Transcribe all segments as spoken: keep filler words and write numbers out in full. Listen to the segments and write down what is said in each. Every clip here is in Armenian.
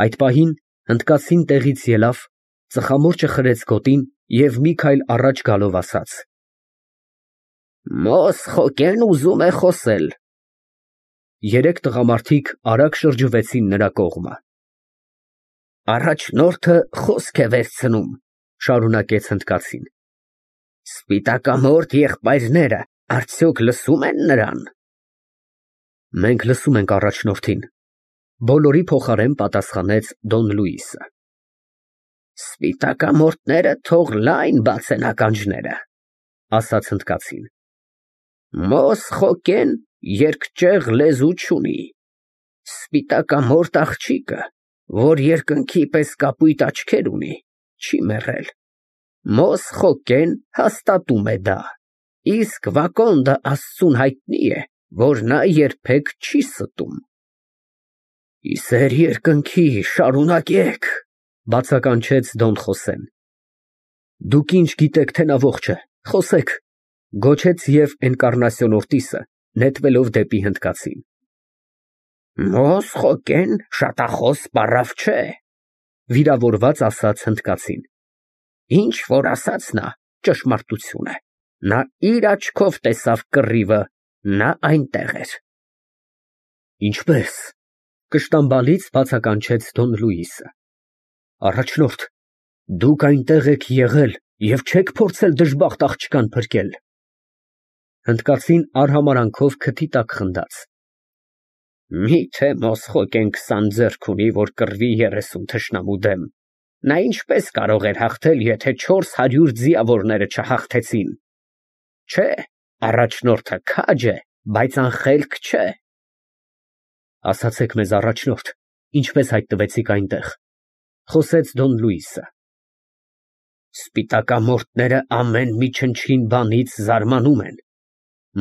Այդ պահին հնդկացին տեղից ելավ, ծխամորճը խրեց գոտին և մի քայլ առաջ գալով ասաց. Մոսխոկեն ուզում է խոսել։ Երեք տղամարդիկ արագ շրջվեցին նրա կողմը։ Առաջնորդը խոսք է վերցնում, շարունակեց հնդկացին։ Սպիտակամորթ եղբայրները արդյոք լսում են նրան։ Մենք լսում ենք առաջնորդին, բոլորի փոխարեն պատասխանեց Դոն Լուիսը։ Սպիտակամորթները թող լայն բացեն ականջները, ասաց հնդկացին։ Մոսխոկեն երկճեղ լեզու չունի։ Սպիտակամորթ աղջիկը, որ երկնքի պես կապույտ աչքեր ունի, չի մեռել։ Մոսխոկեն հաստատում է դա, իսկ Վակոնդը Աստծուն հայտնի է, որ նա երբեք չի ստում։ Իսեր երկնքի, շարունակեք, բացականչեց Դոն Խոսեն։ Դուք ինչ գիտեք, թե նա ողջ է, խոսեք, գոչեց և Էնկառնասիոն Օրտիսը, նետվելով դեպի հնդկացին։ Մոսխոկեն շատախոս պառավ չէ, վիրավորված ասաց հնդկացին։ Ինչ որ ասաց նա, ճշմարտություն է, նա իր աչքով տեսավ կռիվը, նա այնտեղ էր։ Ինչպե՞ս, կշտամբալից բացականչեց Դոն Լուիսը։ Առաջնորդ, դուք այնտեղ եք եղել և չեք փորձել դժբախտ աղջկան փրկել։ Հնդկացին արհամարանքով քթի տակ խնդաց։ Միթե Մոսխոկեն քսան ձեռք ունի, որ կռվի երեսուն թշնամու դեմ, նա ինչպես կարող էր հաղթել, եթե չորս հարյուր ձիավորները չհաղթեցին։ Չէ, առաջնորդը քաջ է, բայց անխելք չէ։ Ասացեք մեզ, առաջնորդ, ինչպես հայտնվեցիք այնտեղ, խոսեց Դոն Լուիսը։ Սպիտակամորթները ամեն մի չնչին բանից զարմանում են։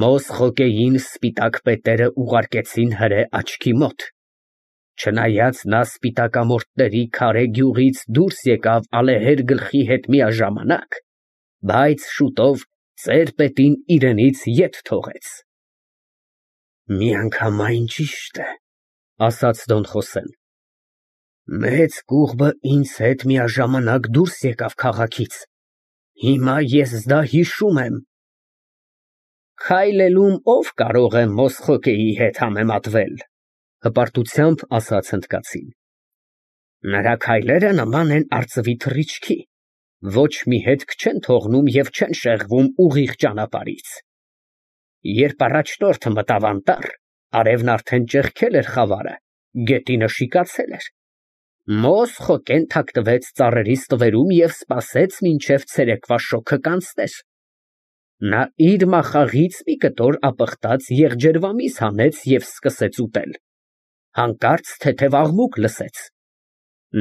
Մոսխոկեին սպիտակ պետերը ուղարկեցին հրե աչքի մոտ։ Չնայած նա սպիտակամորթների քարե գյուղից դուրս եկավ ալեհեր գլխի հետ միաժամանակ, բայց շուտով ծեր պետին իրենից ետ թողեց։ Միանգամայն ճիշտ է, ասաց Դոն Խոսեն։ Մեծ կուղբը ինձ հետ միաժամանակ դուրս եկավ քաղաքից։ Հիմա ես դա հիշում եմ։ Քայլելում ով կարող է Մոսխոկեի հետ համեմատվել, հպարտությամբ ասաց հնդկացին։ Նրա քայլերը նման են արծվի թռիչքի, ոչ մի հետք չեն թողնում և չեն շեղվում ուղիղ ճանապարհից։ Երբ առաջնորդը մտավ անտառ, արևն արդեն ճեղքել էր խավարը, գետինը շիկացել էր։ Մոսխոկեն թաքնվեց ծառերի ստվերում և սպասեց, մինչև ցերեկվա շոգը կանցներ։ Նա իր մախաղից մի կտոր ապխտած եղջերվամիս հանեց և սկսեց ուտել։ Հանկարծ թեթև աղմուկ լսեց։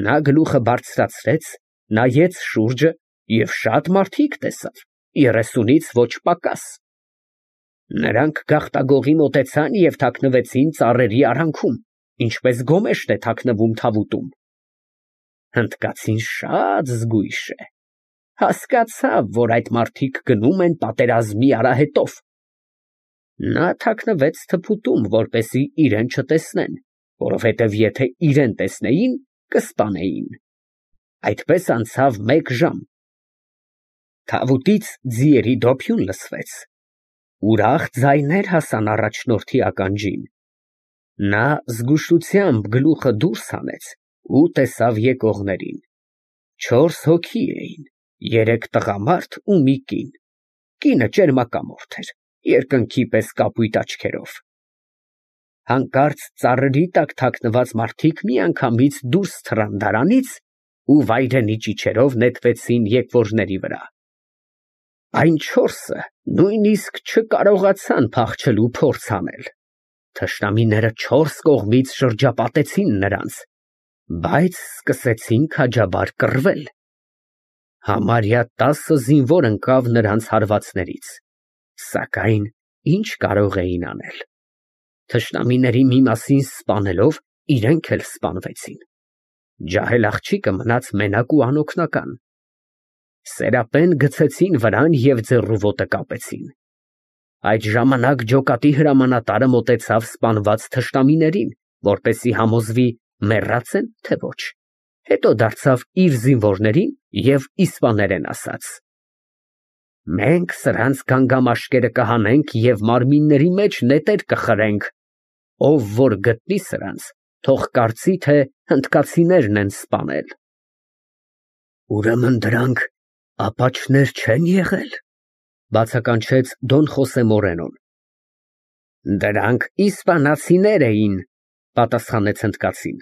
Նա գլուխը բարձրացրեց, նայեց շուրջը և շատ մարդիկ տեսավ, երեսունից ոչ պակաս։ Նրանք գաղտագողի մոտեցան և թաքնվեցին ծառերի արանքում, ինչպես գոմեշտ է թաքնվում թավուտում։ Հնդկացին շատ զգույշ է։ Հասկացավ, որ այդ մարդիկ գնում են պատերազմի արահետով։ Նա թաքնվեց թփուտում, որպեսզի իրեն չտեսնեն, որովհետև եթե իրեն տեսնեին, կսպանեին։ Այդպես անցավ մեկ ժամ։ Թավուտից ձիերի դոփյուն լսվեց։ Ուրախ ձայներ հասան առաջնորդի ականջին։ Նա զգուշությամբ գլուխը դուրս հանեց ու տեսավ եկողներին։ Չորս հոգի էին, երեք տղամարդ ու մի կին։ Կինը ճերմակամորթ էր, երկնքի պես կապույտ աչքերով։ Հանկարծ ծառերի տակ թաքնված մարդիկ միանգամից դուրս թռան դարանից ու վայրենի ճիչերով նետվեցին եկվորների վրա։ Այն չորսը նույնիսկ չկարողացան փախչելու փորձ անել։ Թշնամիները չորս կողմից շրջապատեցին նրանց, բայց սկսեցին քաջաբար կռվել։ Համարյա տասը զինվոր ընկավ նրանց հարվածներից, սակայն ինչ կարող էին անել։ Թշնամիների մի մասին սպանելով, իրենք էլ սպանվեցին։ Ջահել աղջիկը մնաց մենակ ու անօգնական։ Սերապեն գցեցին վրան և ձեռու ոտը կապեցին։ Այդ ժամանակ ջոկատի հրամանատարը մոտեցավ սպանված թշնամիներին, որպեսզի համոզվի, մեռած են, թե ոչ։ Հետո դարձավ իր զինվորներին և իսպաներեն ասաց. Մենք սրանց գանգամաշկերը կհանենք և մարմինների մեջ նետեր կխրենք, ով որ գտնի սրանց, թող կարծի, թե հնդկացիներն են սպանել։ Ուրեմն դրանք ապաչներ չեն եղել, բացականչեց Դոն Խոսե Մորենոն։ Դրանք իսպանացիներ էին, պատասխանեց հնդկացին։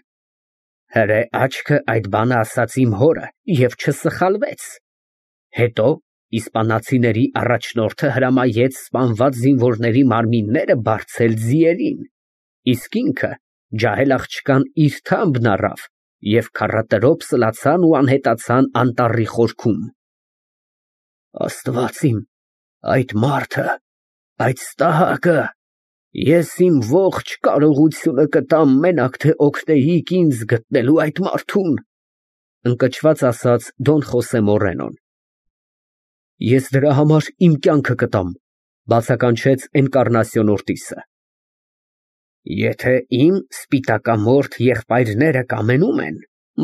Հրե աչքը այդ բանը ասաց իմ հորը և չսխալվեց։ Հետո իսպանացիների առաջնորդը հրամայեց սպանված զինվորների մարմինները բարձել ձիերին, իսկ ինքը ջահել աղջկան իր թամբն առավ և քառատրոփ սլացան ու անհետացան անտառի խորքում։ Աստված իմ, այդ մարդը, այդ ստահակը, ես իմ ողջ կարողությունը կտամ մենակ թե օգնեիք ինձ գտնելու այդ մարդուն, ընկճված ասաց Դոն Խոսե Մորենոն։ Ես դրա համար իմ կյանքը կտամ, բացականչեց Էնկառնասիոն Օրտիսը։ Եթե իմ սպիտակամորթ եղբայրները կամենում են,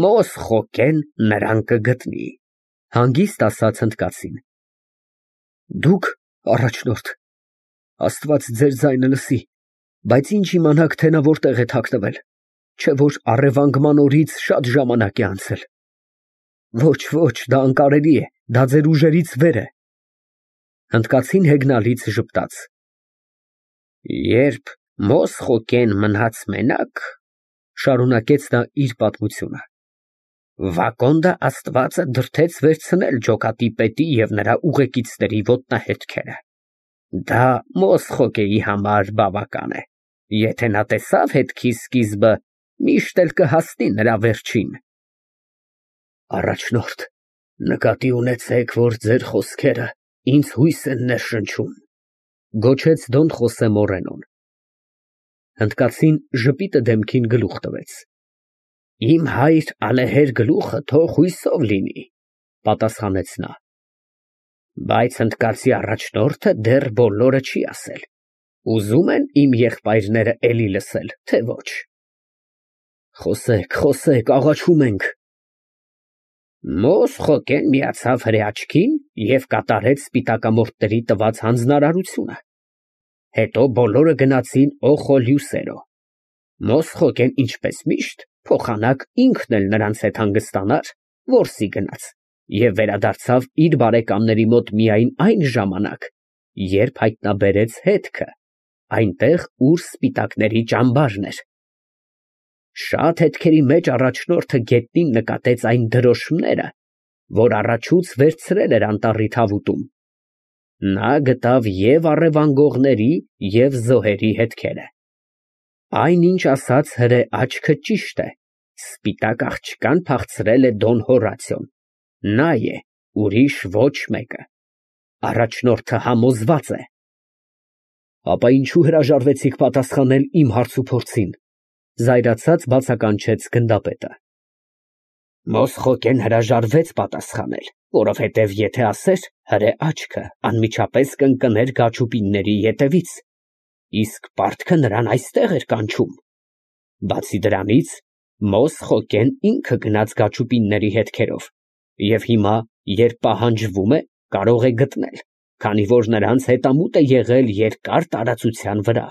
Մոսխոկեն նրան կգտնի, հանգիստ ասաց հնդկացին։ Դուք, առաջնորդ, Աստված ձեր ձայնը լսի, բայց ինչ իմանաք, թե նա որտեղ է թաքնվել, չէ որ առևանգման օրից շատ ժամանակ է անցել։ Ոչ, ոչ, դա անկարելի է, դա ձեր ուժերից վեր է։ Հնդկացին հեգնալից ժպտաց։ Երբ Մոսխոկեն մնաց մենակ, շարունակեց նա իր պատմությունը, Վակոնդը Աստվածը դրդեց վերցնել ջոկատի պետի և նրա ուղեկիցների ոտնահետքերը։ Դա Մոսխոկեի համար բավական է։ Եթե նա տեսավ հետքի սկիզբը, միշտ էլ կհասնի նրա վերջին։ Առաջնորդ, նկատի ունեցեք, որ ձեր խոսքերը ինձ հույս են ներշնչում, գոչեց Դոն Խոսե Մորենոն։ Հնդկացին ժպիտը դեմքին գլուխ տվեց։ Իմ հայր ալեհեր գլուխը թող հույսով լինի, պատասխանեց նա։ Բայց հնդկացի առաջնորդը դեռ բոլորը չի ասել։ Ուզում են իմ եղբայրները էլի լսել, թե ոչ։ Խոսեք, խոսեք, աղաչում ենք։ Մոսխոկեն միացավ հրեաչքին և կատարեց սպիտակամորթների տված հանձնարարությունը։ Հետո բոլորը գնացին Օխոլյուսերո։ Մոսխոկեն ինչպես միշտ փոխանակ ինքն էլ նրանց հետ հանգստանար, որսի գնաց, և վերադարձավ իր բարեկամների մոտ միայն այն ժամանակ, երբ հայտնաբերեց հետքը, այնտեղ, ուր սպիտակների ճամբարն էր։ Շատ հետքերի մեջ առաջնորդը գետնին նկատեց այն դրոշմները, որ առաջուց վերցրել էր անտառի թավուտում։ Նա գտավ և առևանգողների, և զոհերի հետքերը։ Այնինչ ասաց հրե աչքը ճիշտ է, սպիտակ աղջկան փախցրել է Դոն Հորացիոն։ Նա է, ուրիշ ոչ մեկը։ Առաջնորդը համոզված է։ Ապա ինչու հրաժարվեցիք պատասխանել իմ հարցուփորձին, զայրացած բացականչեց գնդապետը։ Մոսխոկեն հրաժարվեց պատասխանել, որովհետև եթե ասեր, հրե աչքը անմիջապես կընկներ գաչուպինների ետևից, իսկ պարտքը նրան այստեղ էր կանչում։ Բացի դրանից, Մոսխոկեն ինքը գնաց գաչուպինների հետքերով, և հիմա, երբ պահանջվում է, կարող է գտնել, քանի որ նրանց հետամուտ է եղել երկար տարածության վրա։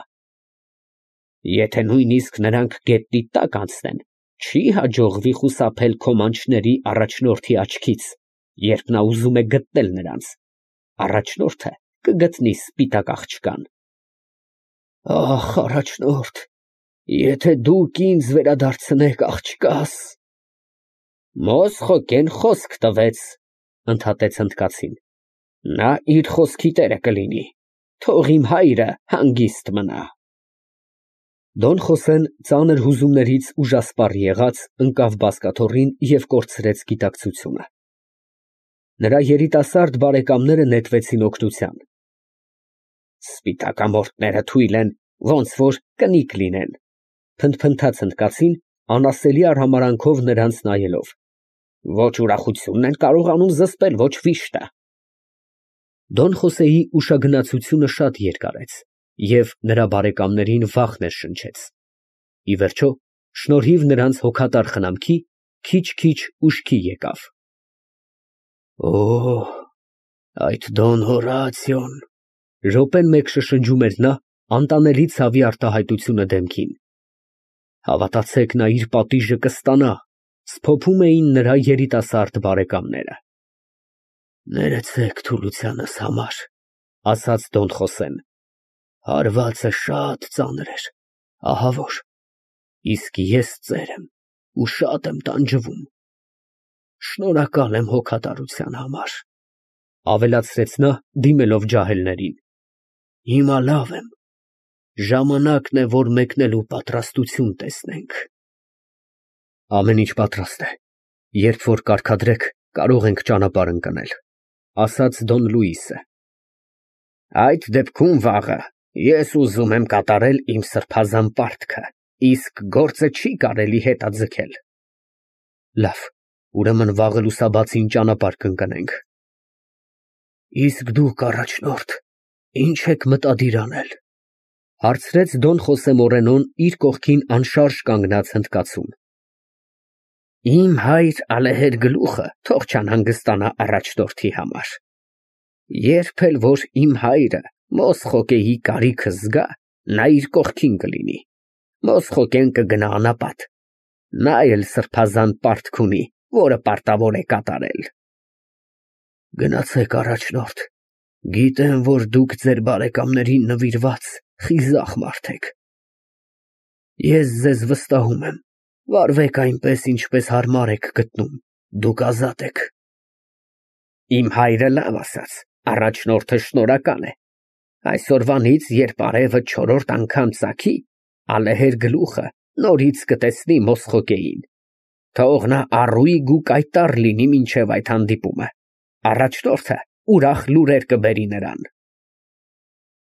Եթե նույնիսկ նրանք գետնի տակ անցնեն, չի հաջողվի խուսափել քո մանչների առաջնորդի աչքից, երբ նա ուզում է գտնել նրանց։ Առաջնորդը կգտնի սպիտակ աղջկան։ Ախ, առաջնորդ, եթե դուք ինձ վերադարձնեք աղջկաս… Մոսխոկեն խոսք տվեց, ընդհատեց հնդկացին։ Նա իր խոսքի տերը կլինի, թող իմ հայրը հանգիստ մնա։ Դոն Խոսեն ծանր հուզումներից ուժասպառ եղած, ընկավ բազկաթոռին և կորցրեց գիտակցությունը։ Նրա երիտասարդ բարեկամները նետվեցին օգնության։ Սպիտակամորթները թույլ են, ոնց որ կնիկ լինեն, փնթփնթաց հնդկացին, անասելի արհամարանքով նրանց նայելով։ Ոչ ուրախությունն են կարողանում զսպել, ոչ վիշտը։ Դոն Խոսեի ուշագնացությունը շատ երկարեց, և նրա բարեկամներին վախ ներշնչեց։ Ի վերջո, Շնորհիվ նրանց հոգատար խնամքի, քիչ֊քիչ ուշքի եկավ։ Օ, այդ Դոն Հորատիոն… Րոպեն մեկ շշնջում էր նա, անտանելի ցավի արտահայտությունը դեմքին։ Հավատացեք, նա իր պատիժը կստանա, սփոփում էին նրա երիտասարդ բարեկամները։ Ներեցեք թուլությանս համար, ասաց Դոն Խոսեն, հարվածը շատ ծանր էր, ահա որ, իսկ ես ծեր եմ ու շատ եմ տանջվում։ Շնորհակալ եմ հոգատարության համար, ավելացրեց նա, դիմելով ջահելներին։ Հիմա լավ եմ, ժամանակն է, որ մեկնելու պատրաստություն տեսնենք։ Ամեն ինչ պատրաստ է, երբ որ կարգադրեք, կարող ենք ճանապարհ ընկնել, ասաց Դոն Լուիսը։ Այդ դեպքում վաղը ես ուզում եմ կատարել իմ սրբազան պարտքը, իսկ գործը չի կարելի հետաձգել։ Լավ, ուրեմն վաղը լուսաբացին ճանապարհ կընկնենք։ Իսկ դուք, առաջնորդ, ինչ եք մտադիր անել, հարցրեց Դոն Խոսե Մորենոն իր կողքին անշարժ կանգնած հնդկացուն։ Իմ հայր ալեհեր գլուխը թող չանհանգստանա առաջնորդի համար։ Երբ էլ որ իմ հայրը Մոսխոկեի կարիքը զգա, նա իր կողքին կլինի, Մոսխոկեն կգնա անապատ, նա էլ սրբազան պարտք ունի, որը պարտավոր է կատարել։ Գնացեք, առաջնորդ, գիտեմ, որ դուք ձեր բարեկամներին նվիրված խիզախ մարդ եք։ Ես ձեզ վստահում եմ, վարվեք այնպես, ինչպես հարմար եք գտնում, դուք ազատ եք։ Իմ հայրը լավ ասաց, առաջնորդը շնորհակալ է։ Այսօրվանից, երբ արևը չորրորդ անգամ ծագի, ալեհեր գլուխը նորից կտեսնի Մոսխոկեին։ Թող նա առույգ ու կայտառ լինի մինչև այդ հանդիպումը։ Առաջնորդը ուրախ լուրեր կբերի նրան։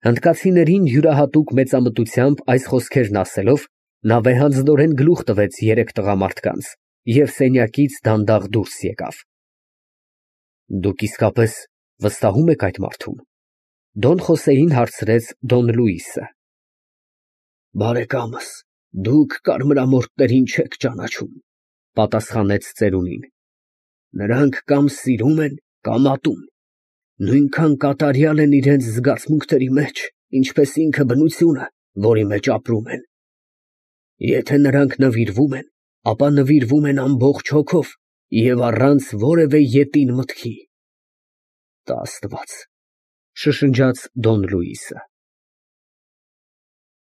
Հնդկացիներին յուրահատուկ մեծամտությամբ այս խոսքերն ասելով, նա վեհանձնորեն գլուխ տվեց երեք տղամարդկանց և սենյակից դանդաղ դուրս եկավ։ Դուք իսկապես վստահում եք այդ մարդուն, Դոն Խոսեին հարցրեց Դոն Լուիսը։ Բարեկամս, դուք կարմրամորթներին չեք ճանաչում, պատասխանեց ծերունին։ Նրանք կամ սիրում են, կամ ատում, նույնքան կատարյալ են իրենց զգացմունքների մեջ, ինչպես ինքը բնությունը, որի մեջ ապրում են։ Եթե նրանք նվիրվում են, ապա նվիրվում են ամբողջ հոգով և առանց որևէ ետին մտքի։ Տա Աստված, շշնջաց Դոն Լուիսը։